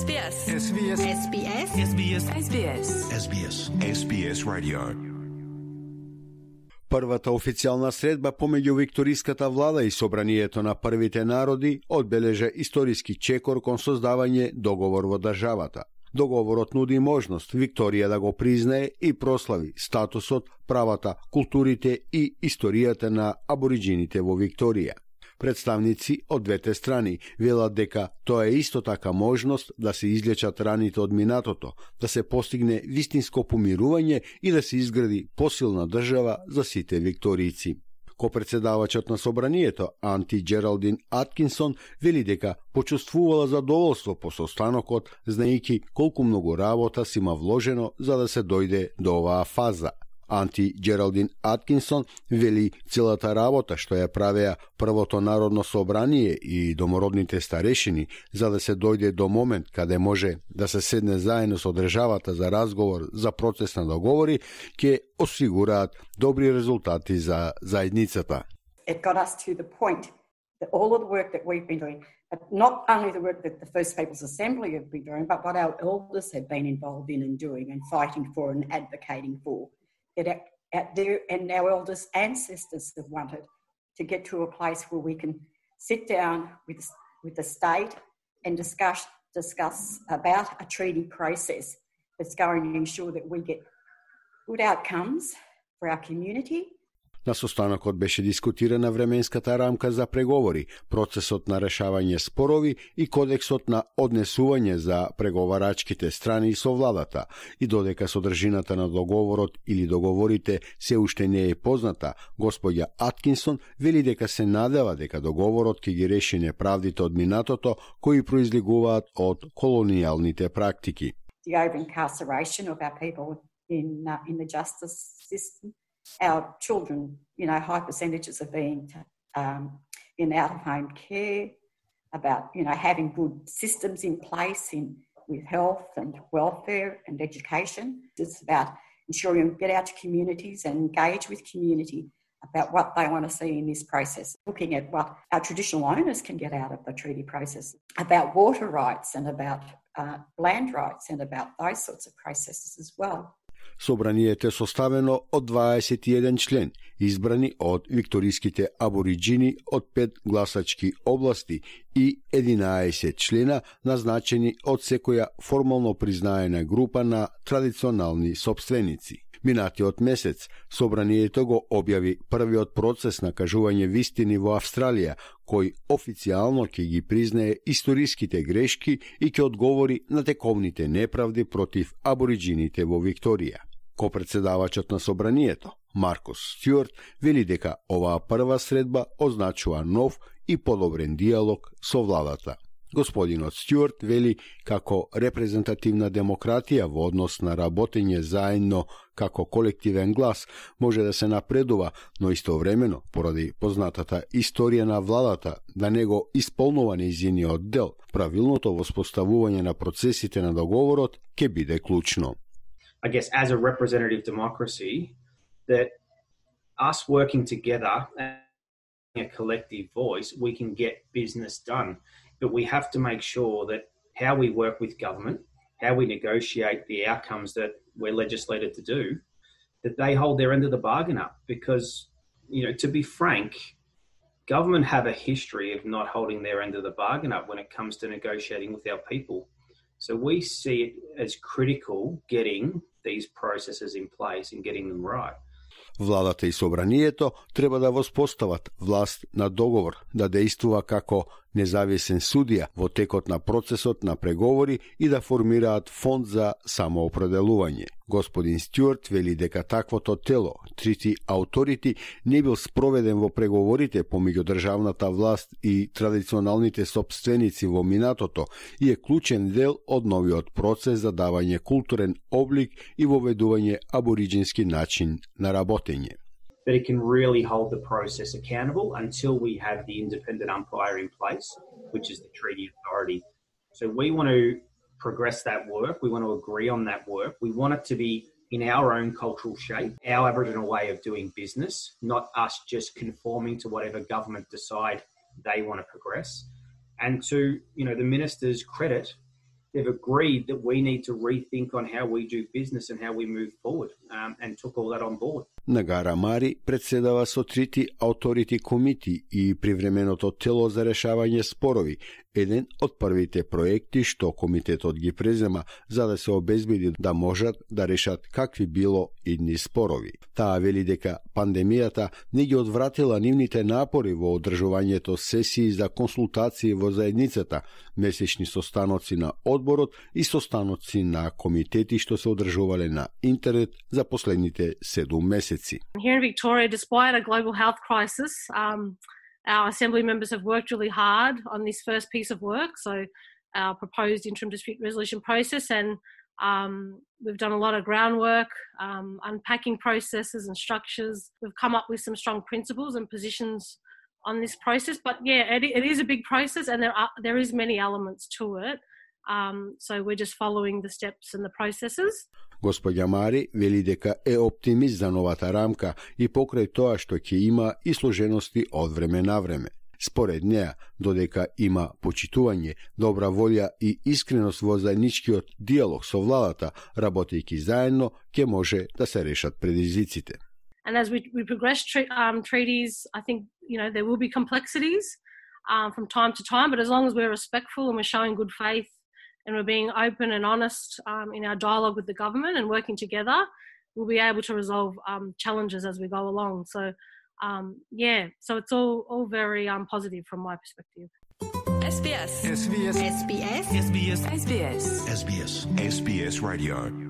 SBS. SBS. SBS. SBS. SBS. SBS. SBS Radio. Првата официјална средба помеѓу викториската влада и собранието на првите народи одбележа историски чекор кон создавање договор во државата. Договорот нуди можност Викторија да го признае и прослави статусот, правата, културите и историјата на абориџините во Викторија. Представници од двете страни велат дека тоа е исто така можност да се излечат раните од минатото, да се постигне вистинско помирување и да се изгради посилна држава за сите викторијци. Копредседавачот на собранието, Анти Джералдин Аткинсон, вели дека почувствувала задоволство по состанокот, знаејќи колку многу работа си има вложено за да се дојде до оваа фаза. Анти Джералдин Аткинсон вели целата работа што ја правеа првото народно собрание и домородните старешини за да се дојде до момент каде може да се седне заедно со државата за разговор за процес на договори, ќе осигураат добри резултати за заедницата. It got us to the point that all of the work that we've been doing, but not only the work that the First Peoples Assembly have been doing, but what our elders have been involved in and doing and fighting for and advocating for. And our elders' ancestors have wanted to get to a place where we can sit down with the state and discuss about a treaty process that's going to ensure that we get good outcomes for our community. На состанокот беше дискутирана временската рамка за преговори, процесот на решавање спорови и кодексот на однесување за преговарачките страни со владата. И додека содржината на договорот или договорите се уште не е позната, господја Аткинсон вели дека се надева дека договорот ќе ги реши неправдите од минатото кои произлегуваат од колонијалните практики. The over-incarceration of our people in the justice system. Our children, high percentages of being in out-of-home care, about, having good systems in place with health and welfare and education. It's about ensuring we get out to communities and engage with community about what they want to see in this process. Looking at what our traditional owners can get out of the treaty process, about water rights and about land rights and about those sorts of processes as well. Собранието е составено од 21 член, избрани од викториските абориџини од 5 гласачки области и 11 члена назначени од секоја формално признаена група на традиционални сопственици. Минатиот месец, собранието го објави првиот процес на кажување вистини во Австралија, кој официјално ќе ги признае историските грешки и ќе одговори на тековните неправди против абориџините во Викторија. Копредседавачот на собранието, Маркус Стюарт, вели дека оваа прва средба означува нов и подобрен диалог со владата. Господинот Стюарт вели како репрезентативна демократија во однос на работење заедно како колективен глас може да се напредува, но истовремено, поради познатата историја на владата да не го исполнува нејзиниот дел, правилното воспоставување на процесите на договорот ќе биде клучно. I guess as a representative democracy, that us working together and a collective voice, we can get business done. But we have to make sure that how we work with government, how we negotiate the outcomes that we're legislated to do, that they hold their end of the bargain up. Because, to be frank, government have a history of not holding their end of the bargain up when it comes to negotiating with our people. So we see it as critical getting these processes in place and getting them right. Владата и собранието треба да воспостават власт на договор, да действува како независен судија во текот на процесот на преговори и да формираат фонд за самоопределување. Господин Стюарт вели дека таквото тело, Treaty Authority, не бил спроведен во преговорите помеѓу државната власт и традиционалните сопственици во минатото и е клучен дел од новиот процес за давање културен облик и воведување абориџински начин на работење. But it can really hold the process accountable until we have the independent umpire in place, which is the treaty authority. So we want to progress that work. We want to agree on that work. We want it to be in our own cultural shape, our Aboriginal way of doing business, not us just conforming to whatever government decide they want to progress. And to, the minister's credit, they've agreed that we need to rethink on how we do business and how we move forward, and took all that on board. Нагара Мари председава со трити Authority Committee и привременото тело за решавање спорови, еден од првите проекти што комитетот ги презема за да се обезбеди да можат да решат какви било идни спорови. Таа вели дека пандемијата не ги одвратила нивните напори во одржувањето сесии за консултации во заедницата, месечни состаноци на одборот и состаноци на комитети што се одржувале на интернет за последните 7 месеци. Here in Victoria, despite a global health crisis, our Assembly members have worked really hard on this first piece of work, so our proposed interim dispute resolution process, and we've done a lot of groundwork, unpacking processes and structures. We've come up with some strong principles and positions on this process, but yeah, it is a big process, and there is many elements to it. So we're just following the steps and the processes. Господја Мари вели дека е оптимист за новата рамка и покрај тоа што ќе има и сложености од време на време. Според неа, додека има почитување, добра волја и искреност во заедничкиот диалог со владата, работејќи заедно, ќе може да се решат предизвиците. And as we progress treaties, I think there will be complexities from time to time, but as long as we're respectful and we're showing good faith and we're being open and honest in our dialogue with the government and working together, we'll be able to resolve challenges as we go along. So, so it's all very positive from my perspective. SBS. SBS. SBS. SBS. SBS. SBS. SBS Radio.